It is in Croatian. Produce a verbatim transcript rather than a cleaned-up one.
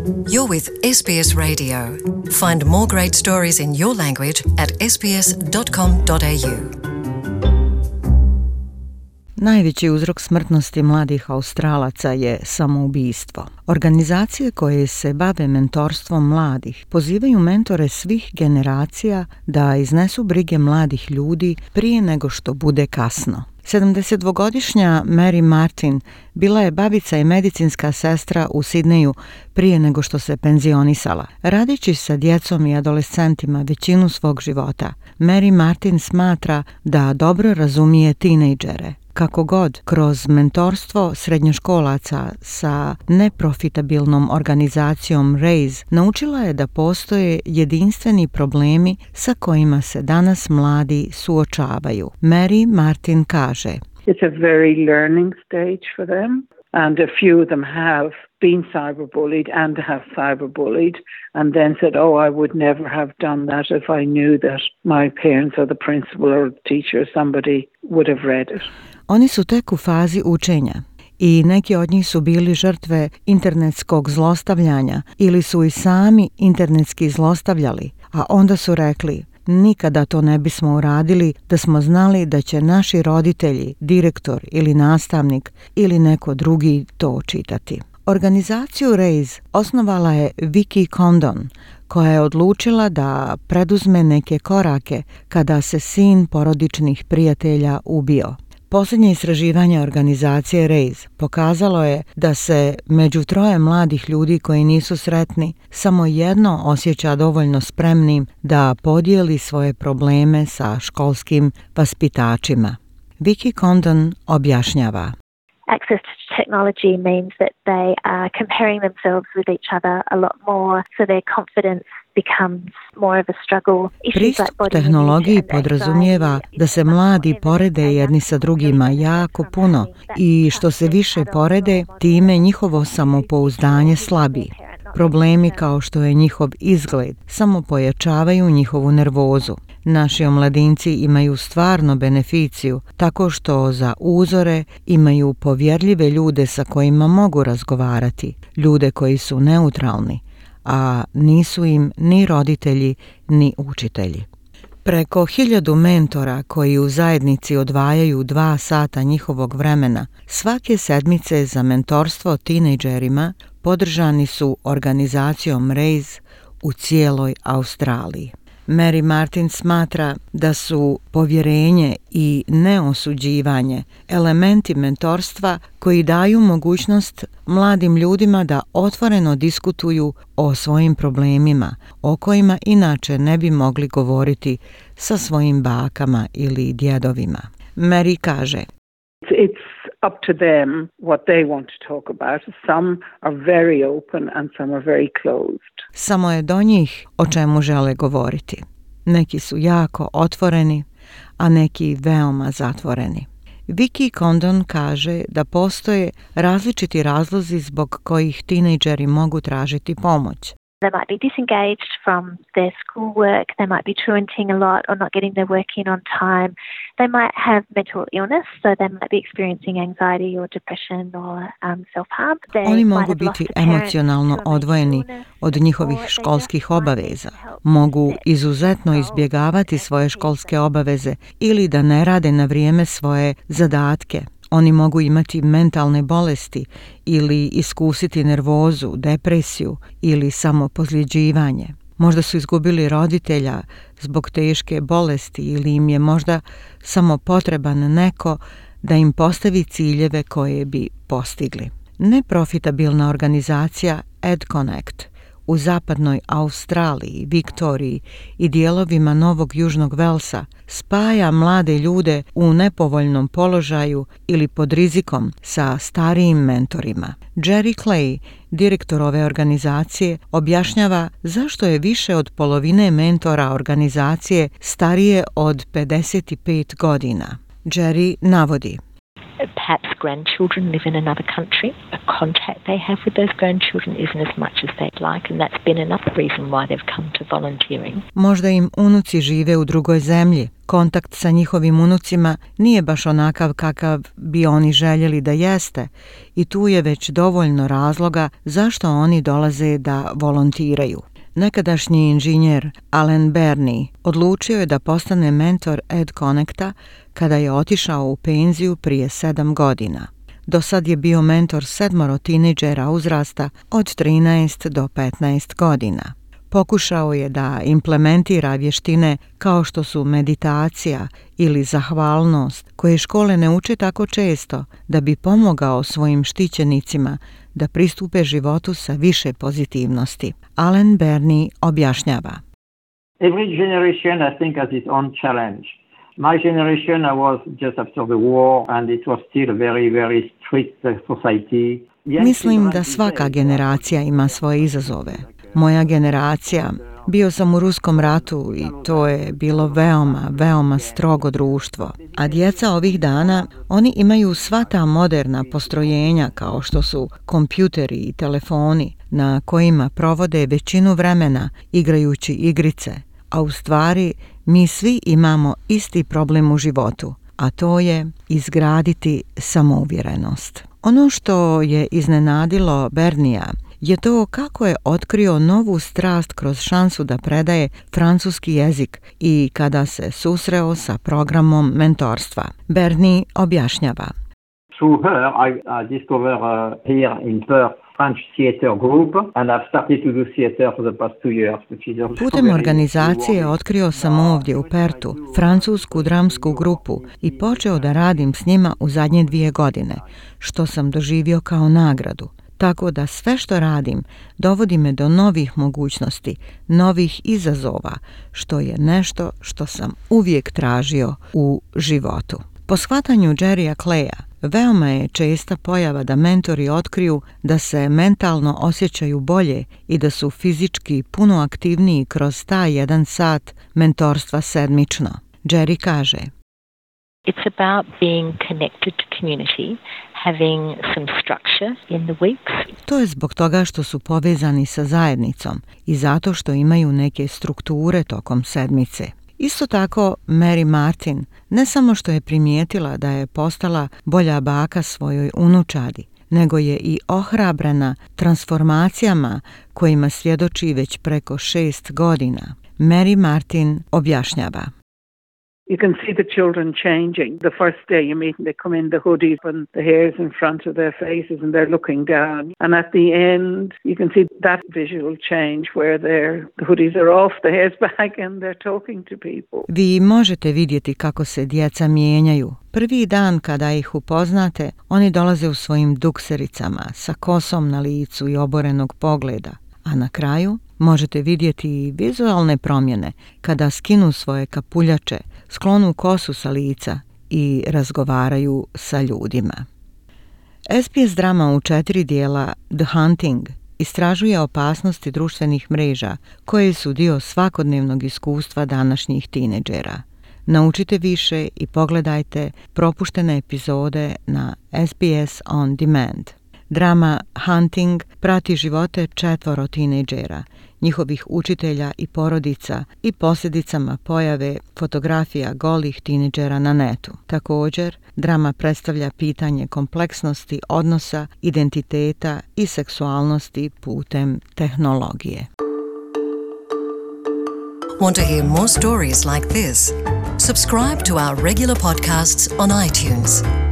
You're with S B S Radio. Find more great stories in your language at s b s dot com dot a u. Najveći uzrok smrtnosti mladih Australaca je samoubistvo. Organizacije koje se bave mentorstvom mladih pozivaju mentore svih generacija da iznesu brige mladih ljudi prije nego što bude kasno. sedamdesetdvogodišnja Mary Martin bila je babica i medicinska sestra u Sidneju prije nego što se penzionisala. Radeći sa djecom i adolescentima većinu svog života, Mary Martin smatra da dobro razumije tinejdžere. Kako god, kroz mentorstvo srednjoškolaca sa neprofitabilnom organizacijom Raise naučila je da postoje jedinstveni problemi sa kojima se danas mladi suočavaju. Mary Martin kaže: It's a very learning stage for them, and a few of them have been cyberbullied and have cyberbullied and then said, oh, I would never have done that if I knew that my parents or the principal or the teacher or somebody would have read it. Oni su tek u fazi učenja i neki od njih su bili žrtve internetskog zlostavljanja ili su i sami internetski zlostavljali, a onda su rekli: nikada to ne bismo uradili da smo znali da će naši roditelji, direktor ili nastavnik ili neko drugi to čitati. Organizaciju Raise osnovala je Vicky Condon, koja je odlučila da preduzme neke korake kada se sin porodičnih prijatelja ubio. Posljednje istraživanje organizacije Raise pokazalo je da se među troje mladih ljudi koji nisu sretni samo jedno osjeća dovoljno spremnim da podijeli svoje probleme sa školskim vaspitačima. Vicky Condon objašnjava: Access to technology means that they are comparing themselves with each other a lot more, so their confidence becomes more of a struggle. Pristup tehnologiji podrazumijeva da se mladi porede jedni sa drugima jako puno i što se više porede, time njihovo samopouzdanje slabi. Problemi kao što je njihov izgled samo pojačavaju njihovu nervozu. Naši omladinci imaju stvarno beneficiju tako što za uzore imaju povjerljive ljude sa kojima mogu razgovarati, ljude koji su neutralni, a nisu im ni roditelji ni učitelji. Preko hiljadu mentora koji u zajednici odvajaju dva sata njihovog vremena svake sedmice za mentorstvo tinejdžerima podržani su organizacijom Raise u cijeloj Australiji. Mary Martin smatra da su povjerenje i neosuđivanje elementi mentorstva koji daju mogućnost mladim ljudima da otvoreno diskutuju o svojim problemima, o kojima inače ne bi mogli govoriti sa svojim bakama ili djedovima. Mary kaže: It's up to them what they want to talk about. Some are very open and some are very closed. Samo je do njih o čemu žele govoriti. Neki su jako otvoreni, a neki veoma zatvoreni. Vicky Condon kaže da postoje različiti razlozi zbog kojih tinejdžeri mogu tražiti pomoć. They might be disengaged from their schoolwork, they might be truanting a lot or not getting their work in on time. They might have mental illness, so they might be experiencing anxiety or depression or um, self-harm. They Oni mogu biti emocionalno odvojeni od njihovih školskih obaveza, mogu izuzetno izbjegavati svoje školske obaveze ili da ne rade na vrijeme svoje zadatke. Oni mogu imati mentalne bolesti ili iskusiti nervozu, depresiju ili samopozljeđivanje. Možda su izgubili roditelja zbog teške bolesti ili im je možda samo potreban neko da im postavi ciljeve koje bi postigli. Neprofitabilna organizacija EdConnect u zapadnoj Australiji, Viktoriji i dijelovima Novog Južnog Velsa spaja mlade ljude u nepovoljnom položaju ili pod rizikom sa starijim mentorima. Jerry Clay, direktor ove organizacije, objašnjava zašto je više od polovine mentora organizacije starije od pedeset pet godina. Jerry navodi: perhaps grandchildren live in another country. A contact they have with those grandchildren isn't as much as they'd like, and that's been another reason why they've come to volunteering. Možda im unuci žive u drugoj zemlji. Kontakt sa njihovim unucima nije baš onakav kakav bi oni željeli da jeste i tu je već dovoljno razloga zašto oni dolaze da volontiraju. Nekadašnji inženjer Alan Bernie odlučio je da postane mentor Ed Connecta kada je otišao u penziju prije sedam godina. Do sad je bio mentor sedmoro tinejdžera uzrasta od trinaest do petnaest godina. Pokušao je da implementira vještine kao što su meditacija ili zahvalnost, koje škole ne uče tako često, da bi pomogao svojim štićenicima da pristupe životu sa više pozitivnosti. Alan Bernie objašnjava. Every generation, I think, has its own challenge. My generation, I was just after the war, and it was still a very, very strict society. Mislim da svaka generacija ima svoje izazove. Moja generacija, bio sam u Ruskom ratu i to je bilo veoma, veoma strogo društvo. A djeca ovih dana, oni imaju sva ta moderna postrojenja kao što su kompjuteri i telefoni na kojima provode većinu vremena igrajući igrice. A u stvari mi svi imamo isti problem u životu, a to je izgraditi samouvjerenost. Ono što je iznenadilo Bernija je to kako je otkrio novu strast kroz šansu da predaje francuski jezik i kada se susreo sa programom mentorstva. Bernie objašnjava. Through her, I, I discovered uh, here in Perth French theater group, and I've started to do theater for the past two years, which is also Putem organizacije otkrio sam ovdje u Pertu francusku dramsku grupu i počeo da radim s njima u zadnje dvije godine, što sam doživio kao nagradu. Tako da sve što radim dovodi me do novih mogućnosti, novih izazova, što je nešto što sam uvijek tražio u životu. Po shvatanju Jerrya Claya, veoma je česta pojava da mentori otkriju da se mentalno osjećaju bolje i da su fizički puno aktivniji kroz taj jedan sat mentorstva sedmično. Jerry kaže: It's about being connected to community, having some structure in the weeks. To je zbog toga što su povezani sa zajednicom i zato što imaju neke strukture tokom sedmice. Isto tako, Mary Martin ne samo što je primijetila da je postala bolja baka svojoj unučadi, nego je i ohrabrena transformacijama kojima svjedoči već preko šest godina. Mary Martin objašnjava. You can see the children changing. The first day you meet them, they come in the hoodies and the hair's in front of their faces and they're looking down. And at the end, you can see that visual change where their the hoodies are off, the hair's back and they're talking to people. Vi možete vidjeti kako se djeca mijenjaju. Prvi dan kada ih upoznate, oni dolaze u svojim duksericama, sa kosom na licu i oborenog pogleda. A na kraju možete vidjeti vizualne promjene kada skinu svoje kapuljače, sklonu kosu sa lica i razgovaraju sa ljudima. S B S drama u četiri dijela The Hunting istražuje opasnosti društvenih mreža koje su dio svakodnevnog iskustva današnjih tinejdžera. Naučite više i pogledajte propuštene epizode na S B S On Demand. Drama Hunting prati živote četvoro tinejdžera, njihovih učitelja i porodica i posljedicama pojave fotografija golih tinejdžera na netu. Također, drama predstavlja pitanje kompleksnosti odnosa, identiteta i seksualnosti putem tehnologije. Want to hear more stories like this? Subscribe to our regular podcasts on iTunes.